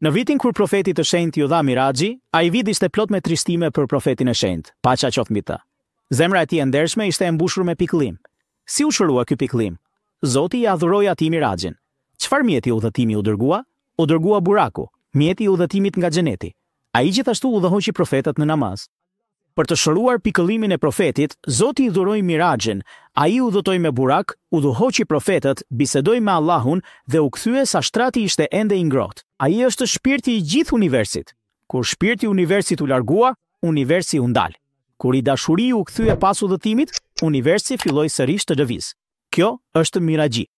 Në vitin kur profetit të shenjtë iu dha Miraxhi, ai vit ishte plot me trishtime për profetin e shenjtë, paqja qoftë mbi të. Zemra e tij e ndershme ishte e mbushur me pikëllim. Si u shërua ky pikëllim? Zoti ia dhuroi atij Miraxhin. Çfarë mjeti udhëtimi u dërgua? U dërgua Buraku, mjeti i udhëtimit nga xheneti. Ai gjithashtu udhëhoqi profetët në namaz. Për të shëruar pikëllimin e profetit, Zoti i dhuroi Miraxhin. Ai udhëtoi me Burak, udhëhoqi profetët, bisedoi me Allahun dhe u kthye sa shtrati ishte ende i ngrohtë. Ai është shpirti i gjithë universit. Kur shpirti i universit u largua, universi u ndal. Kur i dashuri u kthye pas udhëtimit, universi filloi sërish të lëvizë. Kjo është Miraxhi.